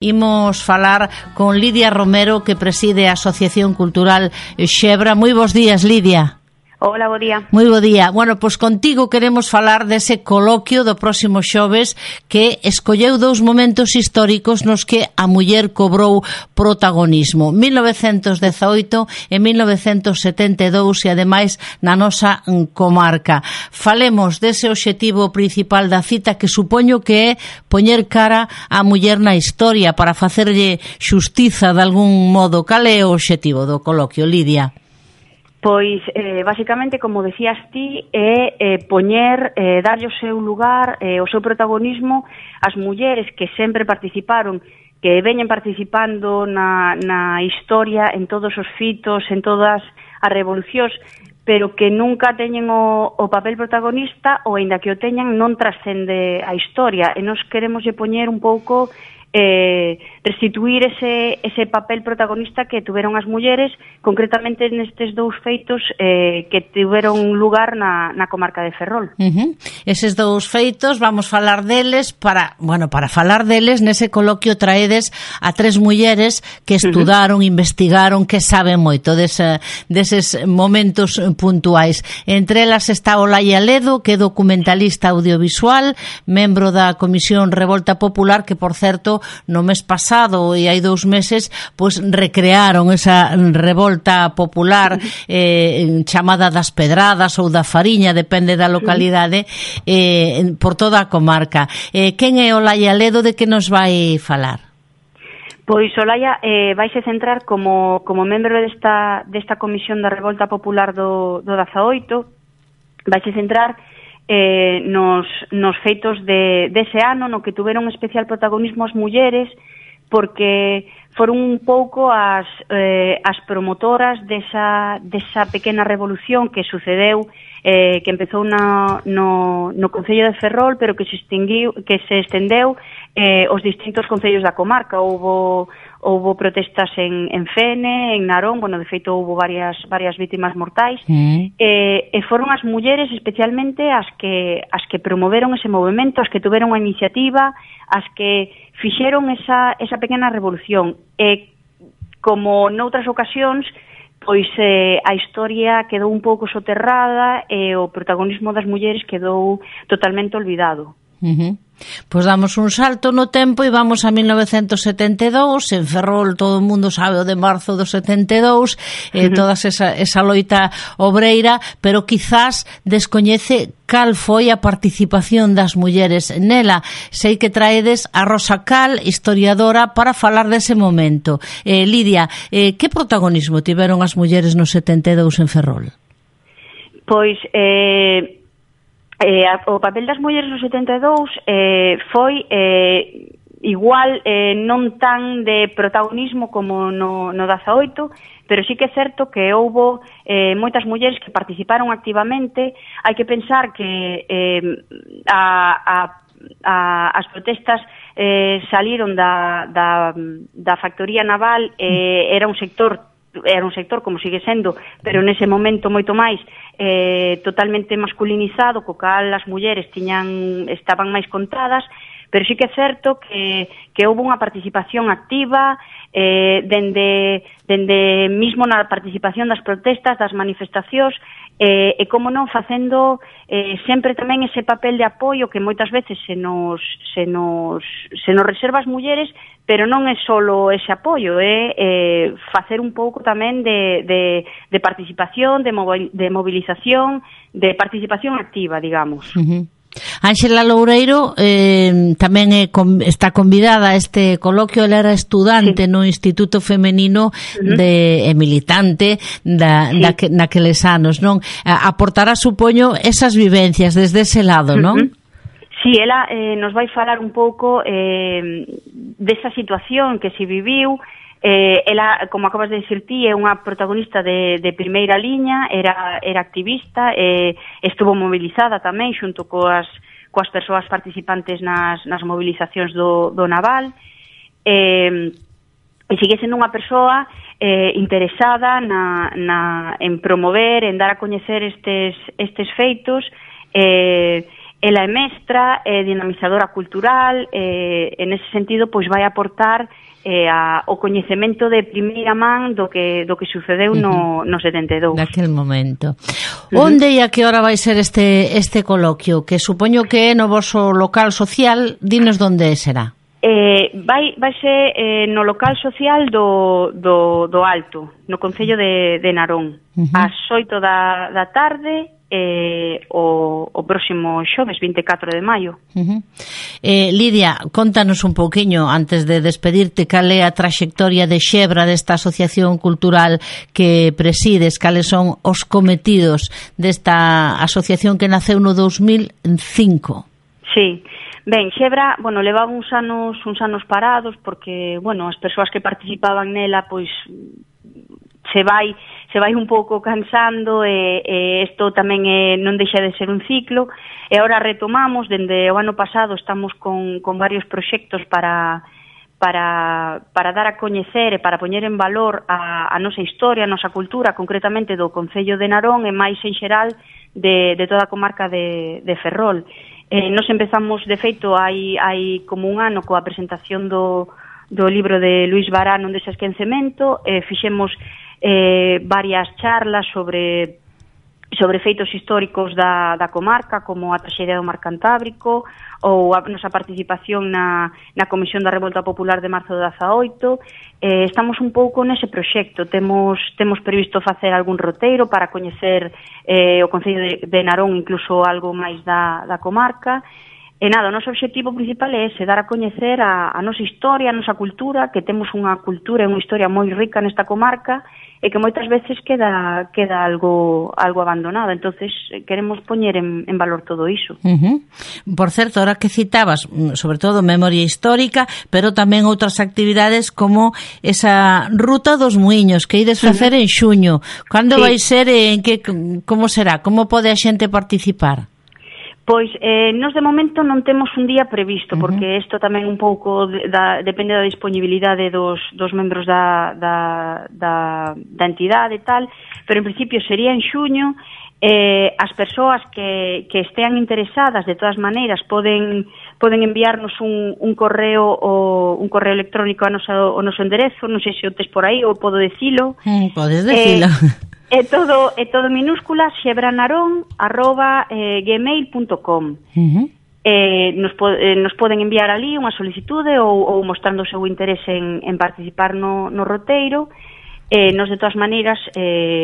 Imos falar con Lidia Romero, que preside a Asociación Cultural Xebra. Moi bons días, Lidia. Hola, bo día. Moi bo día. Bueno, pois contigo queremos falar dese coloquio do próximo xoves que escolleu dous momentos históricos nos que a muller cobrou protagonismo. 1918 e 1972 e ademais na nosa comarca. Falemos dese obxectivo principal da cita que supoño que é poñer cara á muller na historia para facerlle xustiza de algún modo. Cal é o obxectivo do coloquio, Lidia? Pois, basicamente, como decías ti, é darlle o seu lugar, o seu protagonismo ás mulleres que sempre participaron, que veñen participando na historia, en todos os fitos, en todas as revolucións, pero que nunca teñen o papel protagonista, ou aínda que o teñan, non trascende a historia. E nos queremos poñer un pouco restituir ese papel protagonista que tuveron as mulleres, concretamente nestes dous feitos que tiveron lugar na comarca de Ferrol. Eses dous feitos, vamos falar deles, para falar deles, nese coloquio traedes a tres mulleres que estudaron, investigaron, que saben moito deses momentos puntuais. Entre elas está Olaya Ledo, que é documentalista audiovisual, membro da Comisión Revolta Popular, que, por certo, no mes pasado e hai 2 meses pois recrearon esa revolta popular chamada das Pedradas ou da Fariña, depende da localidade, por toda a comarca. Quen é Olaya Ledo, de que nos vai falar? Pois Olaya vaise centrar como membro desta Comisión da Revolta Popular do 18, vaise centrar nos feitos dese ano, no que tuveron especial protagonismo as mulleres, porque foron un pouco as promotoras desa pequena revolución que sucedeu, que empezou no Concello de Ferrol, pero que se estendeu aos distintos concellos da comarca. Houbo protestas en Fene, en Narón, de feito houbo varias vítimas mortais, e foron as mulleres especialmente as que promoveron ese movimento, as que tuveron a iniciativa, as que fixeron esa pequena revolución. E como noutras ocasións, pois a historia quedou un pouco soterrada e o protagonismo das mulleres quedou totalmente olvidado. Pois damos un salto no tempo e vamos a 1972. En Ferrol todo o mundo sabe o de marzo do 72, toda esa loita obreira, pero quizás descoñece cal foi a participación das mulleres nela. Sei que traedes a Rosa Cal, historiadora, para falar dese momento. Lidia, que protagonismo tiveron as mulleres no 72 en Ferrol? Pois o papel das mulleres no 72 foi igual, non tan de protagonismo como no 18, pero sí que é certo que houbo moitas mulleres que participaron activamente. Hai que pensar que as protestas saliron da factoría naval, era un sector como sigue sendo, pero nese momento moito máis totalmente masculinizado, co cal as mulleres estaban máis contadas, pero sí que é certo que houve unha participación activa dende mismo na participación das protestas, das manifestacións, e como non facendo sempre tamén ese papel de apoio que moitas veces se nos reserva as mulleres, pero non é solo ese apoio, é facer un pouco tamén de participación, de movilización, de participación activa, digamos. Ánxela Loureiro tamén está convidada a este coloquio. Ela era estudante no Instituto Femenino e militante naqueles anos, non? Aportará, supoño, esas vivencias desde ese lado, non? Sí, ela nos vai falar un pouco desa situación que se viviu. Ela, como acabas de dicir ti, é unha protagonista de primeira liña, era activista, estuvo mobilizada tamén xunto coas persoas participantes nas mobilizacións do naval, e sigue sendo unha persoa interesada en promover, en dar a coñecer estes feitos, ela é mestra, é dinamizadora cultural, en ese sentido, pois vai aportar o coñecemento de primeira man do que sucedeu no 72. Daquel momento. Onde e a que hora vai ser este coloquio? Que supoño que é no voso local social, dinos onde será. Vai ser no local social do Alto, no Concello de Narón, ás 8 da tarde, o próximo xoves 24 de maio. Lidia, contanos un pouquiño antes de despedirte cal é a traxectoria de Xebra desta asociación cultural que presides, cales son os cometidos desta asociación que naceu no 2005. Sí. Ben, Xebra, levaba uns anos parados porque, as persoas que participaban nela, pois se vai un pouco cansando e isto tamén non deixa de ser un ciclo e agora retomamos, dende o ano pasado estamos con varios proxectos para dar a coñecer e para poñer en valor a nosa historia, a nosa cultura, concretamente do Concello de Narón e máis en xeral de toda a comarca de Ferrol. Nos empezamos, de feito, hai como un ano coa presentación do libro de Luis Barán, Onde se esquecemento, fixemos varias charlas sobre feitos históricos da comarca, como a traxedia do Mar Cantábrico ou a nosa participación na Comisión da Revolta Popular de marzo do 18. Estamos un pouco nese proxecto. Temos previsto facer algún roteiro para coñecer o Concello de Narón, incluso algo máis da comarca. E nada, o noso obxectivo principal é ese, dar a coñecer a nosa historia, a nosa cultura, que temos unha cultura e unha historia moi rica nesta comarca e que moitas veces queda algo abandonado. Entonces queremos poñer en valor todo iso. Por certo, ahora que citabas, sobre todo memoria histórica, pero tamén outras actividades como esa ruta dos muiños que ides facer en xuño. Cando vai ser e como será? Como pode a xente participar? Pois, nos de momento non temos un día previsto, porque isto tamén un pouco depende da disponibilidade dos membros da entidade e tal, pero en principio sería en xuño. As persoas que estean interesadas, de todas maneiras, poden enviarnos un correo electrónico ao noso enderezo, non sei se o tes por aí ou podo dicilo. Podes dicilo. É todo minúscula, xebranarón@gmail.com. Nos poden enviar ali unha solicitude ou mostrando o seu interese en participar no roteiro. Nos, de todas maneiras,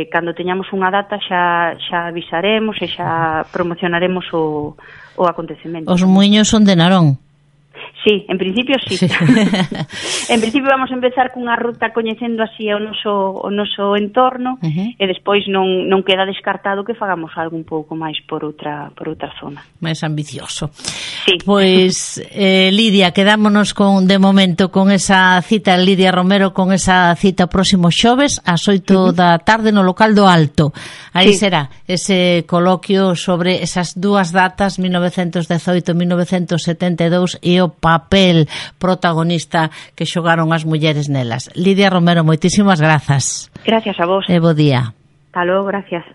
cando teñamos unha data xa avisaremos e xa promocionaremos o acontecemento. Os muiños son de Narón. Sí, en principio sí. En principio vamos a empezar cunha ruta coñecendo así o noso entorno e despois non queda descartado que fagamos algo un pouco máis por outra zona. Máis ambicioso. Sí. Pois, Lidia, quedámonos de momento con esa cita, Lidia Romero, con esa cita próximo xoves ás 8 da tarde no local do Alto. Aí será ese coloquio sobre esas dúas datas, 1918 e 1972, e o papel protagonista que xogaron as mulleres nelas. Lidia Romero, moitísimas grazas. Gracias a vos. E bo día. Hasta logo, gracias.